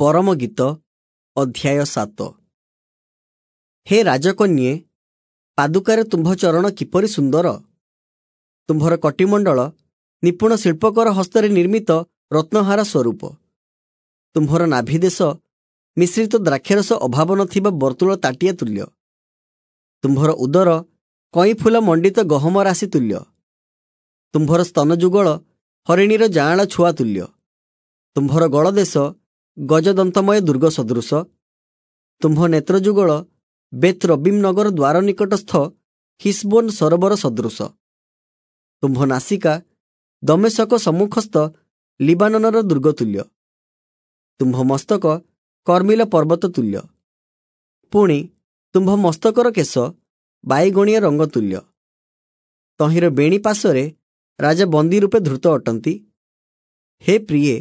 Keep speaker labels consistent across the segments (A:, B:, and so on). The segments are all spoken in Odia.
A: ପରମଗୀତ ଅଧ୍ୟାୟ 7। ହେ ରାଜକନ୍ୟେ, ପାଦୁକାରେ ତୁମ୍ଭ ଚରଣ କିପରି ସୁନ୍ଦର! ତୁମ୍ଭର କଟିମଣ୍ଡଳ ନିପୁଣ ଶିଳ୍ପକର ହସ୍ତରେ ନିର୍ମିତ ରତ୍ନହାର ସ୍ୱରୂପ। ତୁମ୍ଭର ନାଭିଦେଶ ମିଶ୍ରିତ ଦ୍ରାକ୍ଷାରସ ଅଭାବ ନଥିବା ବର୍ତ୍ତୁଳ ତାଟିଆ ତୁଲ୍ୟ। ତୁମ୍ଭର ଉଦର କଇଁଫୁଲ ମଣ୍ଡିତ ଗହମ ରାଶି ତୁଲ୍ୟ। ତୁମ୍ଭର ସ୍ତନଯୁଗଳ ହରିଣୀର ଯାଆଁଳ ଛୁଆ ତୁଲ୍ୟ। ତୁମ୍ଭର ଗଳଦେଶ ଗଜଦନ୍ତମୟ ଦୁର୍ଗ ସଦୃଶ। ତୁମ୍ଭ ନେତ୍ରଯୁଗଳ ବେତ୍ ରବିମ୍ ନଗର ଦ୍ୱାର ନିକଟସ୍ଥ ହିସବୋନ ସରୋବର ସଦୃଶ। ତୁମ୍ଭ ନାସିକା ଦମେଶକ ସମ୍ମୁଖସ୍ଥ ଲିବାନନର ଦୁର୍ଗ ତୁଲ୍ୟ। ତୁମ୍ଭ ମସ୍ତକ କର୍ମିଲ ପର୍ବତ ତୁଲ୍ୟ। ପୁଣି ତୁମ୍ଭ ମସ୍ତକର କେଶ ବାଇଗଣିଆ ରଙ୍ଗ ତୁଲ୍ୟ। ତହିଁର ବେଣୀ ପାଶରେ ରାଜା ବନ୍ଦୀ ରୂପେ ଧୃତ ଅଟନ୍ତି। ହେ ପ୍ରିୟେ,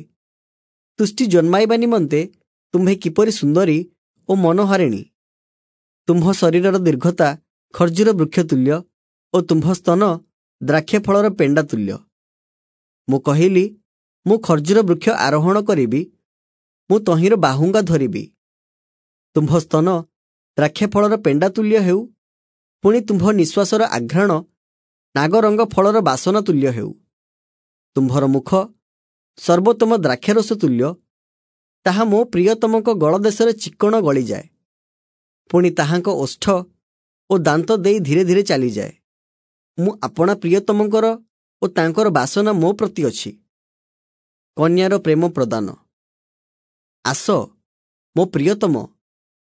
A: ତୁଷ୍ଟି ଜନ୍ମାଇବା ନିମନ୍ତେ ତୁମ୍ଭେ କିପରି ସୁନ୍ଦରୀ ଓ ମନୋହାରିଣୀ! ତୁମ୍ଭ ଶରୀରର ଦୀର୍ଘତା ଖର୍ଜୁର ବୃକ୍ଷ ତୁଲ୍ୟ ଓ ତୁମ୍ଭ ସ୍ତନ ଦ୍ରାକ୍ଷାଫଳର ପେଣ୍ଡା ତୁଲ୍ୟ। ମୁଁ କହିଲି, ମୁଁ ଖର୍ଜୁର ବୃକ୍ଷ ଆରୋହଣ କରିବି, ମୁଁ ତହିଁର ବାହୁଙ୍ଗା ଧରିବି। ତୁମ୍ଭ ସ୍ତନ ଦ୍ରାକ୍ଷାଫଳର ପେଣ୍ଡା ତୁଲ୍ୟ ହେଉ, ପୁଣି ତୁମ୍ଭ ନିଶ୍ୱାସର ଆଘ୍ରାଣ ନାଗରଙ୍ଗ ଫଳର ବାସନା ତୁଲ୍ୟ ହେଉ। ତୁମ୍ଭର ମୁଖ ସର୍ବୋତ୍ତମ ଦ୍ରାକ୍ଷାରସ ତୁଲ୍ୟ, ତାହା ମୋ ପ୍ରିୟତମଙ୍କ ଗଳଦେଶରେ ଚିକ୍କଣ ଗଳିଯାଏ। ପୁଣି ତାହାଙ୍କ ଓଷ୍ଠ ଓ ଦାନ୍ତ ଦେଇ ଧୀରେ ଧୀରେ ଚାଲିଯାଏ। ମୁଁ ଆପଣା ପ୍ରିୟତମଙ୍କର ଓ ତାଙ୍କର ବାସନା ମୋ ପ୍ରତି ଅଛି। କନ୍ୟାର ପ୍ରେମ ପ୍ରଦାନ। ଆସ ମୋ ପ୍ରିୟତମ,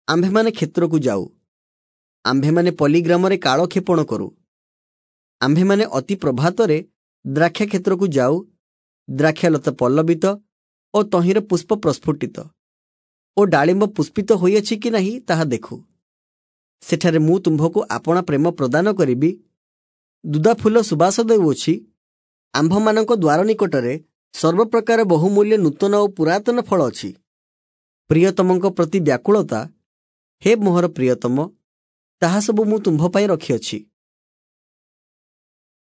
A: ଆମ୍ଭେମାନେ କ୍ଷେତ୍ରକୁ ଯାଉ। ଆମ୍ଭେମାନେ ପଲ୍ଲୀଗ୍ରାମରେ କାଳକ୍ଷେପଣ କରୁ। ଆମ୍ଭେମାନେ ଅତି ପ୍ରଭାତରେ ଦ୍ରାକ୍ଷା କ୍ଷେତ୍ରକୁ ଯାଉ। ଦ୍ରାକ୍ଷାଲତା ପଲ୍ଲବିତ ଓ ତହିଁର ପୁଷ୍ପ ପ୍ରସ୍ଫୁଟିତ ଓ ଡାଳିମ୍ବ ପୁଷ୍ପିତ ହୋଇଅଛି କି ନାହିଁ ତାହା ଦେଖୁ। ସେଠାରେ ମୁଁ ତୁମ୍ଭକୁ ଆପଣା ପ୍ରେମ ପ୍ରଦାନ କରିବି। ଦୁଦାଫୁଲ ସୁବାସ ଦେଉଅଛି। ଆମ୍ଭମାନଙ୍କ ଦ୍ୱାର ନିକଟରେ ସର୍ବପ୍ରକାର ବହୁମୂଲ୍ୟ ନୂତନ ଓ ପୁରାତନ ଫଳ ଅଛି। ପ୍ରିୟତମଙ୍କ ପ୍ରତି ବ୍ୟାକୁଳତା, ହେ ମୋହର ପ୍ରିୟତମ, ତାହା ସବୁ ମୁଁ ତୁମ୍ଭ ପାଇଁ ରଖିଅଛି।